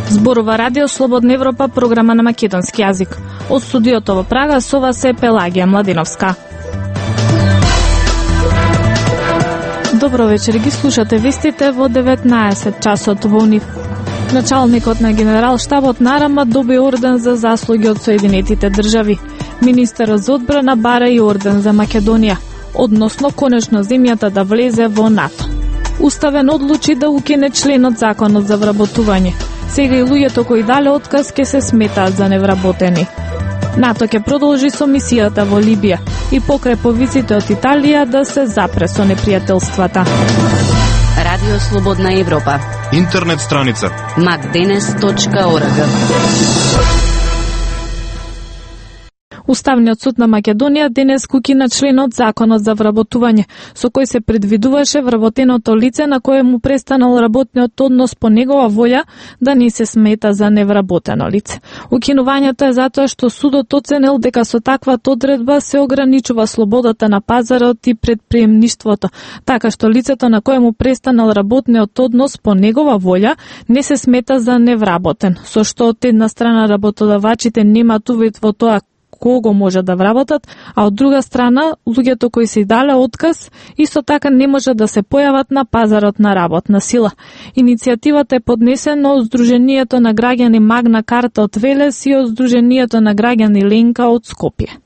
Зборува Радио Слободна Европа, програма на македонски јазик. Од студиото во Прага со вас е Пелагија Младиновска. Добро вечер, ги слушате вестите во 19 часот во НИФ. Началникот на Генерал-штабот на РМ доби орден за заслуги од Соединетите држави. Министерот за одбрана бара и орден за Македонија, односно конечно земјата да влезе во НАТО. Уставен одлучи да укине членот Законот за вработување. Сега и луѓето кои дале отказ ке се сметаат за невработени. НАТО ќе продолжи со мисијата во Либија и покрај повиците од Италија да се запре со непријателствата. Радио Слободна Европа. Интернет страница macdenes.org. Уставниот суд на Македонија денес укина членот Законот за вработување, со кој се предвидуваше вработеното лице на кое му престанал работниот однос по негова волја да не се смета за невработено лице. Укинувањето е затоа што судот оценил дека со таквата одредба се ограничува слободата на пазарот и предприемништвото, така што лицето на кое му престанал работниот однос по негова волја не се смета за невработен, со што од една страна работодавачите немаат увид во тоа кого може да вработат, а од друга страна, луѓето кои се дале отказ, исто така не може да се појават на пазарот на работна сила. Иницијативата е поднесена од Сдруженијето на граѓани Магна Карта од Велес и од Сдруженијето на граѓани Ленка од Скопје.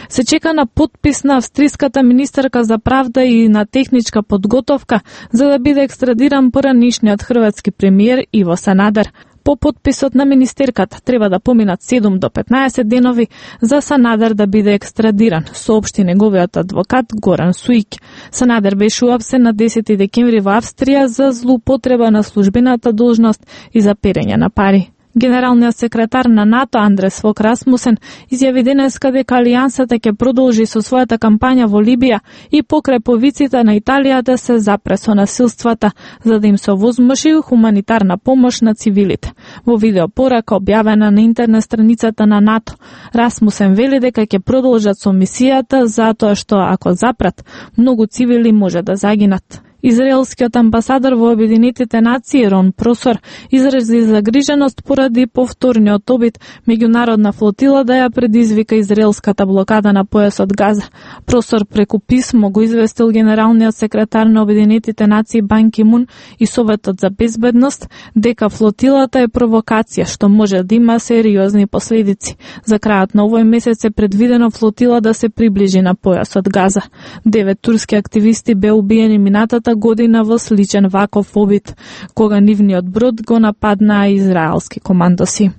Се чека на подпис на австриската министерка за правда и на техничка подготовка за да биде екстрадиран поранишниот хрватски премиер Иво Санадер. По подписот на министерката треба да поминат 7 до 15 денови за Санадер да биде екстрадиран, соопшти неговиот адвокат Горан Суик. Санадер беше уапсен на 10 декември во Австрија за злоупотреба на службената должност и за перење на пари. Генералниот секретар на НАТО Андрес Фок Расмусен изјави денеска дека Алијансата ќе продолжи со својата кампања во Либија и покрај повиците на Италија да се запре со насилствата, за да им се овозможи хуманитарна помош на цивилите. Во видеопорака објавена на интернет страницата на НАТО, Расмусен вели дека ќе продолжат со мисијата затоа што ако запрат, многу цивили може да загинат. Израелскиот амбасадор во Обединетите нации Рон Просор изрази загриженост поради повторниот обид меѓународна флотила да ја предизвика израелската блокада на појасот Газа. Просор преку писмо го известил генералниот секретар на Обединетите нации Бан Ки Мун и Советот за безбедност дека флотилата е провокација што може да има сериозни последици. За крајот на овој месец е предвидено флотила да се приближи на појасот Газа. 9 турски активисти беа убиени минатата година во сличен ваков обид, кога нивниот брод го нападнаа израелски командоси.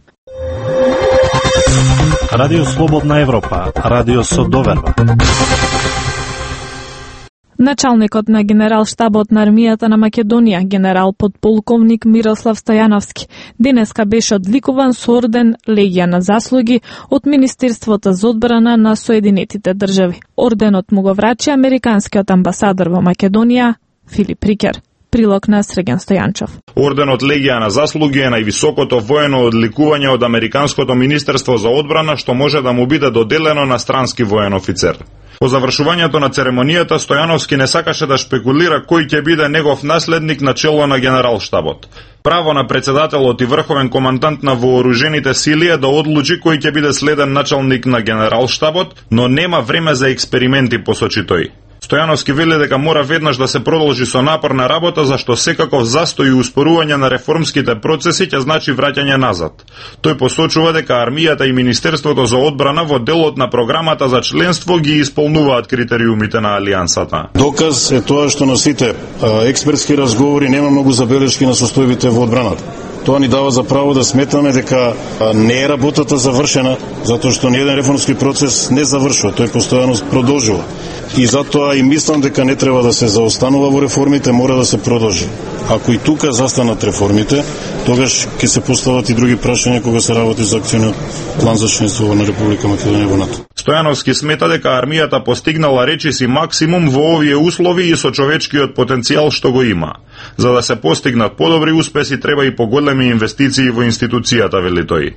Радио Слободна Европа, радио со доверба. Началникот на Генерал-штабот на армијата на Македонија, генерал подполковник Мирослав Стојановски, денеска беше одликуван со орден Легија на заслуги од Министерството за одбрана на Соединетите држави. Орденот му го врачи американскиот амбасадор во Македонија Филип Рикер. Прилог на Среген Стојанчов. Орденот Легија на заслуги е највисокото воено одликување од Американското министерство за одбрана што може да му биде доделено на странски воен офицер. По завршувањето на церемонијата Стојановски не сакаше да шпекулира кој ќе биде негов наследник на чело на Генерал-штабот. Право на председателот и врховен командант на вооружените сили е да одлучи кој ќе биде следен началник на Генерал-штабот, но нема време за експерименти, посочи тој. Стојановски вели дека мора веднаш да се продолжи со напорна работа, зашто секаков застој и успорување на реформските процеси ќе значи враќање назад. Тој посочува дека армијата и Министерството за одбрана во делот на програмата за членство ги исполнуваат критериумите на Алијансата. Доказ е тоа што на сите експертски разговори нема многу забелешки на состојбите во одбраната. Тоа ни дава за право да сметаме дека не е работата завршена, затоа што ниеден реформски процес не завршува, тој постојано продолжува. И затоа и мислам дека не треба да се заостанува во реформите, мора да се продолжи. Ако и тука застанат реформите, тогаш ќе се постават и други прашања кога се работи за акциониот план за членство на Република Македонија во НАТО. Стојановски смета дека армијата постигнала речиси максимум во овие услови и со човечкиот потенцијал што го има. За да се постигнат подобри успеси треба и поголеми инвестиции во институцијата, вели тој.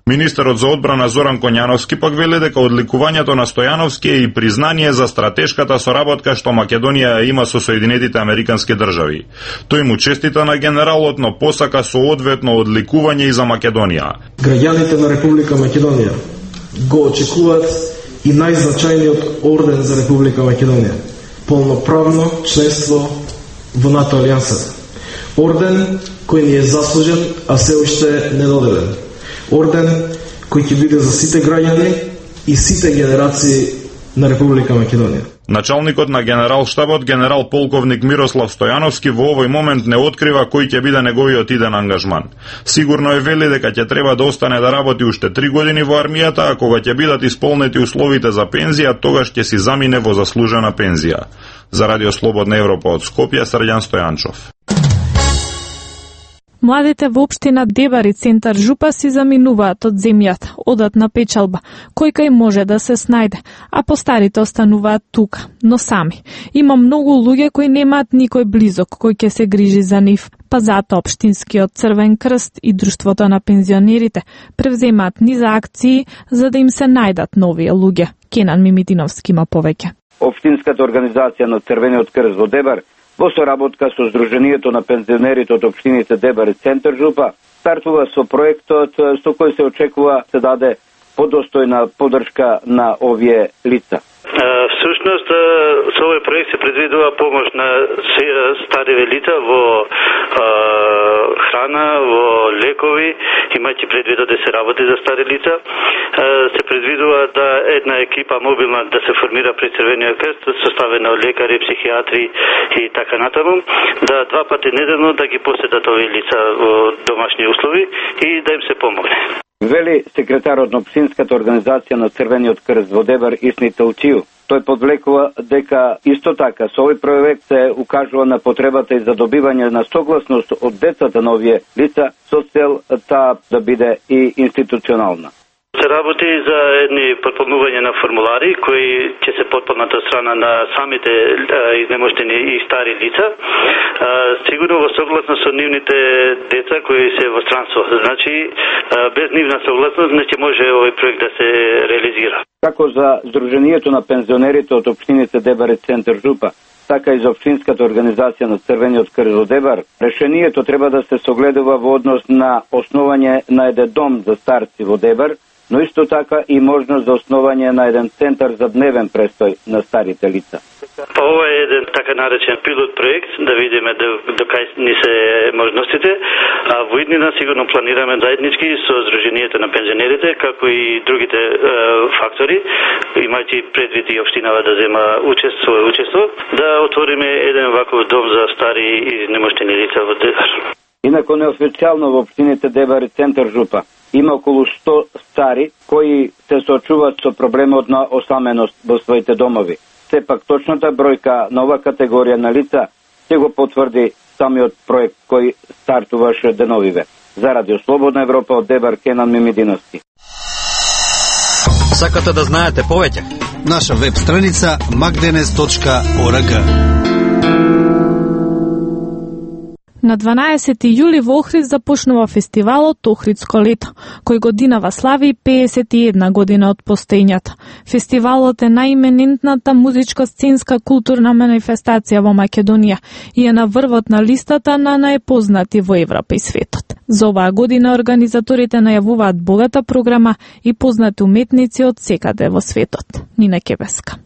Министерот за одбрана Зоран Коњановски пак вели дека одликувањето на Стојановски е и признание за стратешката соработка што Македонија има со Соединетите Американски држави. Тој му честита на генералот, но посака соодветно одликување и за Македонија. Граѓаните на Република Македонија го очекуваат и најзначајниот орден за Република Македонија – полноправно членство во НАТО алијансата. Орден кој ни е заслужен, а се уште недоделен. Орден кој ќе биде за сите граѓани и сите генерации на Република Македонија. Началникот на генерал-штабот, генерал полковник Мирослав Стојановски, во овој момент не открива кој ќе биде неговиот иден ангажман. Сигурно е вели дека ќе треба да остане да работи уште 3 години во армијата, а кога ќе бидат исполнети условите за пензија, тогаш ќе си замине во заслужена пензија. За Радио Слободна Европа од Скопје, Срđan Стојанчов. Младите во општина Дебар и центар Жупа си заминуваат од земјата, одат на печалба, кој кај може да се снајде, а постарите остануваат тука, но сами. Има многу луѓе кои немаат никој близок кој ќе се грижи за нив, па затоа Општинскиот Црвен крст и Друштвото на пензионерите превземаат низа акции за да им се најдат нови луѓе. Кенан Мимитиновски има повеќе. Општинската организација на Црвениот крст во Дебар во соработка со Сдруженијето на пензионерите од општините Дебар и центар Жупа стартува со проектот со кој се очекува се даде подостојна поддршка на овие лица. Всушност, со овој проект се предвидува помош на стариве лица во храна, во лекови, имајќи предвид да се работи за стари лица. Се предвидува да една екипа мобилна да се формира при Црвениот крст, составена од лекари, психијатри и така натаму, да 2 пати неделно да ги посетат овие лица во домашни услови и да им се помогне. Вели секретарот на Општинската организација на Црвениот крст во Дебар Исни Талчију. Тој подвлекува дека исто така со овој проект се укажува на потребата и за добивање на согласност од децата на овие лица со цел таа да биде и институционална. Се работи за едни потполнување на формулари кои ќе се потполнат од страна на самите изнемоштени и стари лица, сигурно во согласност со нивните деца кои се во странство. Значи, без нивна согласност не ќе може овој проект да се реализира. Како за Сдруженијето на пензионерите од општините Дебар и центар Жупа, така и за Општинската организација на Црвениот крст во Дебар, решението треба да се согледува во однос на основање на еден дом за старци во Дебар, но исто така и можност за основање на еден центар за дневен престој на старите лица. Ова е еден така наречен пилот проект, да видиме докај ни се можностите, а во иднина сигурно планираме заеднички со Сдруженијето на пензионерите, како и другите фактори, имајќи предвид и општинава да зема учество, да отвориме еден ваков дом за стари и немоштени лица во Дебар. Инако неофицијално во општините Дебар и центар Жупа има околу 100 стари кои се соочуваат со проблемот на осаменост во своите домови. Сепак точната бројка на ова категорија на лица се го потврди самиот проект кој стартуваше деновиве. За Радио Слободна Европа од Дебар, Кенан Мимидиновски. Сакате да знаете повеќе? Наша веб страница magdenes.org. На 12 јули во Охрид започнува фестивалот Охридско лето, кој годинава слави 51 година од постоењето. Фестивалот е најименентната музичко-сценска културна манифестација во Македонија и е на врвот на листата на најпознати во Европа и светот. За оваа година организаторите најавуваат богата програма и познати уметници од секаде во светот. Нина Кебеска.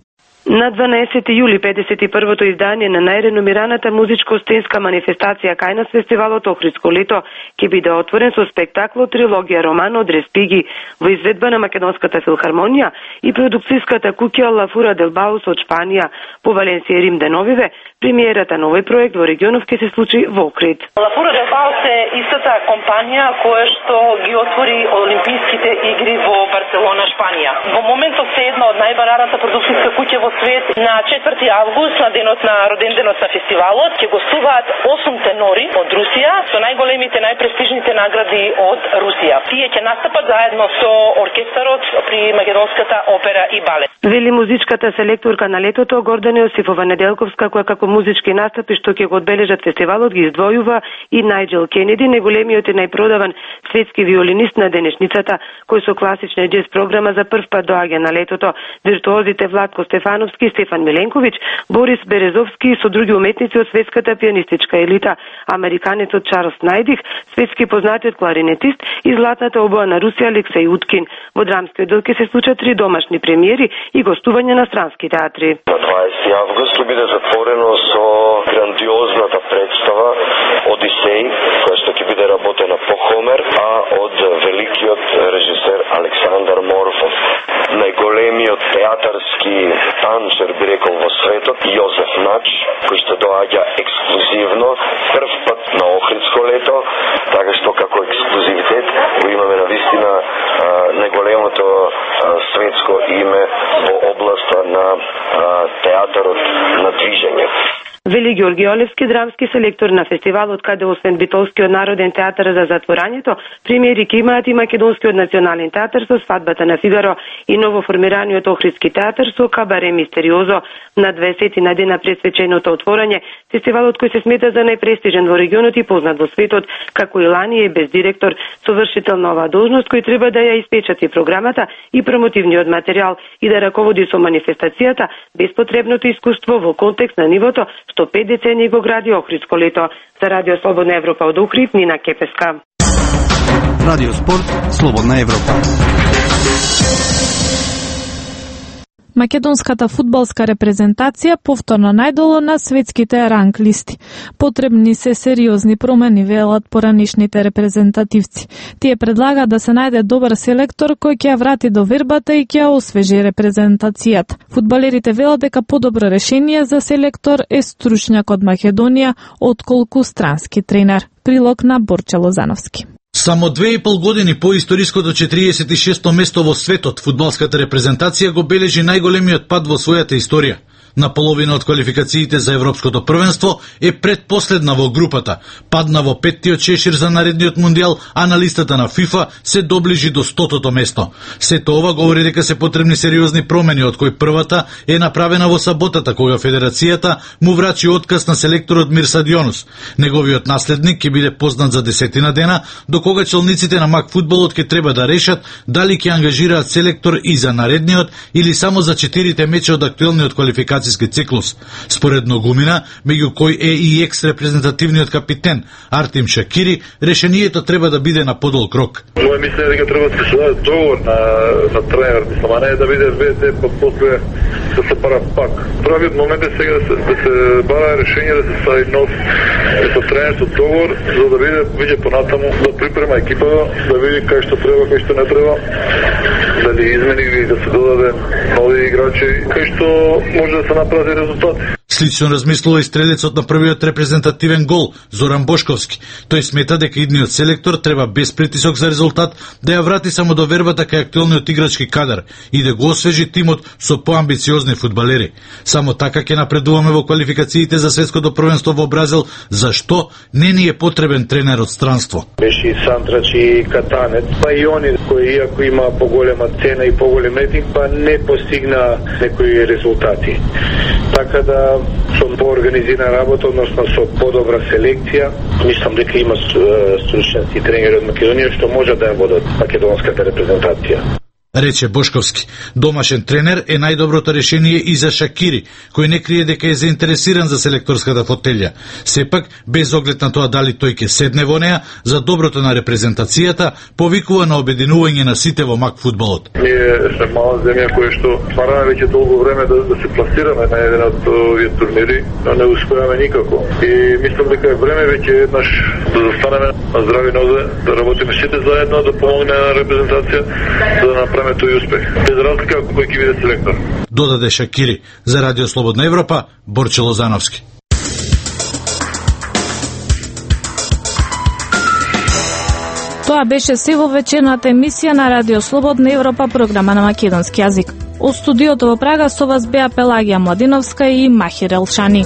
На 12 јули 51-то издание на најреномираната музичко-сценска манифестација кај нас фестивалот Охридско лето ќе биде отворен со спектаклот трилогија роман од Респиги во изведба на Македонската филхармонија и продукцијската куќа Ла Фура дел Баус од Шпанија по Валенсија и Рим деновиве. Премиерата на овој проект во регионов ќе се случи во Охрид. Ла Фура дел Баус е истата компанија која што ги отвори Олимписките игри во Барселона, Шпанија. Во моментот се една од најбараната продукцијска куќа во свет на 4 август, на денот на роденденот на фестивалот, ќе гостуваат 8 тенори од Русија со најголемите, најпрестижните награди од Русија. Тие ќе настапат заедно со оркестарот при Македонската опера и балет. Вели музичката селекторка на летото Гордана Јосифова Неделковска, која како музички настапи што ќе го одбележат фестивалот ги издвојува и Најджел Кенеди, најголемиот и најпродаван светски виолинист на денешницата, кој со класична џез програма за прв пат доаѓа на летото. Виртуозите Владко Стефановски, Стефан Миленковиќ, Борис Березовски и со други уметници од светската пианистичка елита, американецот Чарлс Најдих, светски познатиот кларинетист и златната обоа на Русија Алексеј Уткин. Во драмскиот дел ќе се случат 3 домашни премиери и гостување на странски театри. На 20 август ќе биде затворено со грандиозната представа Одисеј, која што ќе биде работена по Хомер, а од великиот режисер Александар Морфов. Најголемиот театарски танчер, би рекол, во светот, Јозеф Нач, кој што доаѓа ексклузивно, прв пат на Охридско лето, така што како ексклузивитет го имаме на вистина најголемото светско име во областа на театарот на движење. Вели Георги Олевски, драмски селектор на фестивалот, каде освен Битолскиот народен театар за затворањето, премиери ќе имаат и Македонскиот национален театар со Свадбата на Фигаро и новоформираниот Охридски театар со Кабаре Мистериозо. На 20 дена пресвеченото отворање, фестивалот кој се смета за најпрестижен во регионот и познат во светот, како и лани е без директор, совршител на оваа должност кој треба да ја испечати програмата и промотивниот материјал и да раководи со манифестацијата без потребното искуство во контекст на нивото што 5 децении го гради Охридско лето. За Радио Слободна Европа од Охрид, Нина Кепеска. Радио Спорт, Слободна Европа. Македонската фудбалска репрезентација повторно најдолу на светските ранг листи. Потребни се сериозни промени, велат поранишните репрезентативци. Тие предлагаат да се најде добар селектор кој ќе ја врати довербата и ќе ја освежи репрезентацијата. Фудбалерите велат дека подобро решение за селектор е стручњак од Македонија отколку странски тренер. Прилог на Борче Лозановски. Само 2,5 години по историското 46-то место во светот, фудбалската репрезентација го бележи најголемиот пад во својата историја. На половина од квалификациите за Европското првенство е предпоследна во групата, падна во 5-тиот шешир за наредниот мундијал, а на листата на ФИФА се доближи до 100-то место. Сето ова говори дека се потребни сериозни промени, од кои првата е направена во саботата, кога Федерацијата му врачи отказ на селекторот Мирсадионус. Неговиот наследник ќе биде познат за 10 дена, до кога челниците на МАК фудбалот ќе треба да решат дали ќе ангажираат селектор и за наредниот или само за 4 меча од актуелниот квалификацијски циклус. Според Ногумина, меѓу кој е и екс-репрезентативниот капитен Артем Шакири, решението треба да биде на подолг рок. Моје мислење е дека треба да се даде договор на тренер, мислам, а не да биде ВТ, па после да се бара пак. Правиот момент е сега да се бара решение да се стави нов со тренерот договор, за да биде понатаму, да припрема екипа, да види кај што треба, кај што не треба, дали измени или да се додаде нови играчи, кај што може да се направи резултат. Слично размислува и стрелецот на првиот репрезентативен гол, Зоран Бошковски. Тој смета дека идниот селектор треба без притисок за резултат да ја врати само довербата кај актуелниот играчки кадар и да го освежи тимот со поамбициозни фудбалери. Само така ќе напредуваме во квалификациите за светското првенство во Бразил, зашто не ни е потребен тренер од странство. Беше и Санtrač и Катанец, па и они кои иако има поголема цена и поголем рейтинг, па не постигна некои резултати. Така да со поорганизирана работа, односно со подобра селекција, мислам дека има стручници и тренери од Македонија што може да ја водат македонската репрезентација. Рече Бошковски. Домашен тренер е најдоброто решение и за Шакири, кој не крие дека е заинтересиран за селекторската фотелја. Сепак, без оглед на тоа дали тој ќе седне во неа, за доброто на репрезентацијата, повикува на обединување на сите во МАК фудбалот. Ние сме мала земја која што бараме веќе долго време да се пласираме на еден од овие турнири, но не успеаме никако. И мислам дека е време веќе еднаш да застанеме на здрави нозе, да работиме сите заедно, да помогне на репрезентација, за да направиме тој успех. Без разлика кој ќе биде селектор. Додаде Шакири. За Радио Слободна Европа, Борче Лозановски. Тоа беше се во вечерната емисија на Радио Слободна Европа, програма на македонски јазик. Од студиото во Прага со вас беа Пелагија Младиновска и Махир Елшани.